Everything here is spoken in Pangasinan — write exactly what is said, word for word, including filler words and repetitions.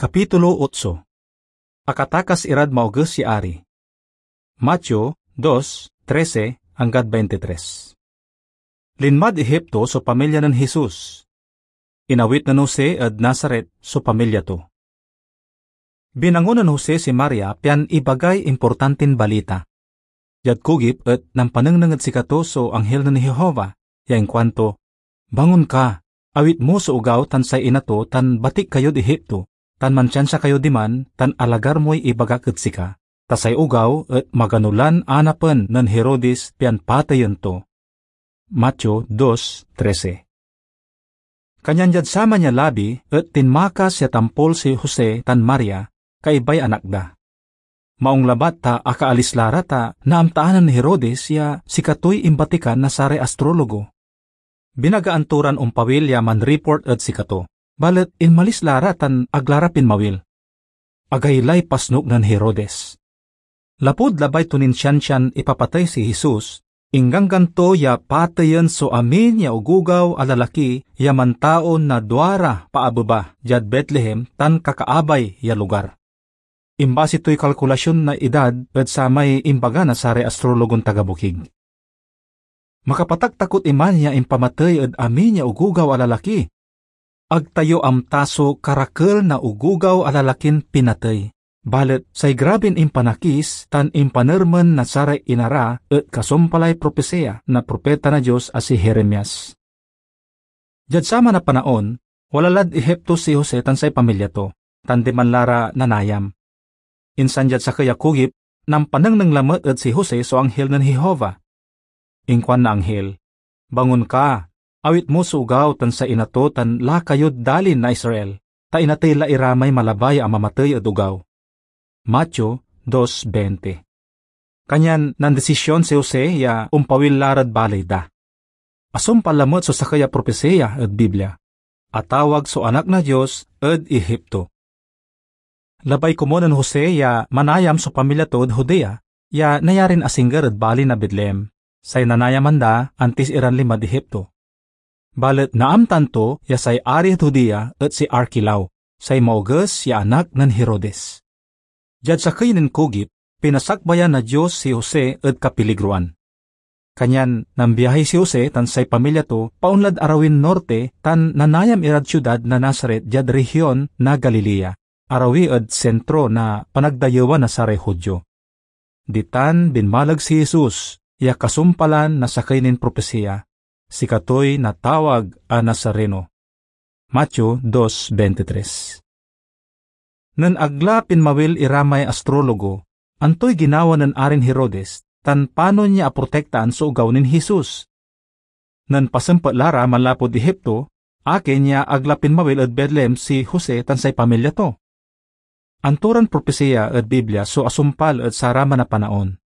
Kapitulo otso. Akatakas irad maoges ya ari. Mateo dos trese anggad veintitres. Linmad Egipto so pamilya nen Jesus. Inawit nen Jose ed Nazaret so pamilya to. Binangon nen Jose si Maria pian ibagay importantin balita. Diad kugip et nampanengneng ed sikato so anghel nen Jehovah, ya inkuanto, "Bangon ka, awit mo so ogaw tan say ina to, tan batik kayod Egipto, tan mansiansia kayo diman, tan alagar moy ibagak ed sika, ta say ogaw et magano lan anapen nen Herodes pian pateyen to." Mateo dos trese. Kanyan diad saman ya labi et tinmakas ya tampol si Jose tan Maria, kaibay anak da. Maong labat ta akaalis la ra ta naamtaan nen Herodes ya sikatoy imbatikan na saray astrologo. Binagaan to ran ompawil ya manreport ed sikato, balet inmalis la ra tan ag la ra pinmawil. Agaylay pasnok nen Herodes. Lapud labay to nin siansian ipapatey si Jesus, ingganggan to ya pateyen so amin ya ogogaw a lalaki ya mantaon na duara paabeba diad Betlehem tan kakaabay ya lugar. Imbasi toy kalkulasion na idad ed samay imbaga na saray astrologon taga bokig. Makapataktakot iman ya impamatey ed amin ya ogogaw a lalaki. Ag tayo amta so karakel na ogogaw a lalakin pinatey, balet say grabin impanakis tan impanermen na saray ina ra et kasumpalay propesiya na propeta na Dios a si Jeremias. Diad saman a panaon, wala lad Ehipto si Jose tan say pamilya to, tan diman la ra nanayam. Insan diad sakey a kugip, nampanengneng lamet ed si Jose so anghel nen Jehovah. Inkuan na anghel, "Bangon ka, awit mo so ogaw tan say ina to tan lakayod dalin na Israel, ta inatey la iramay malabay a mamatey ed ogaw." Mateo dos veinte. Kanyan nandesision si Jose ya ompawil la rad baley da. Asumpal lamet so sakey a propesiya ed Biblia. Atawag so Anak na Dios ed Ehipto. Labay komun nen Jose ya manayam so pamilya to ed Judea, ya nayarin asingger ed bali na Betlehem, say nanayaman da antis iran linmad Ehipto. Balet naamtan to ya say ari ed Judea et si Arkelao, say maoges ya anak nen Herodes. Diad sakey nin kugip, pinasakbayan na Dios si Jose ed kapiligroan. Kanyan nambiahi si Jose tan say pamilya to paonlad arawin norte tan nanayam irad siudad na Nazaret diad rehion na Galilea, arawi ed sentro na panagdayewan na saray Judio. Ditan binmaleg si Jesus ya kasumpalan na sakey nin propesiya, sikatoy natawag a Nazareno. Mateo dos veintitres. Nen ag la pinmawil iramay astrologo, antoy ginawa nen Arin Herodes, tan panon ya aprotektaan so ogaw nen Jesus? Nen pasempet la ra manlapud Ehipto, akin ya ag la pinmawil ed Betlehem si Jose tan say pamilya to? Anto ran propesiya ed Biblia so asumpal ed saraman a panaon?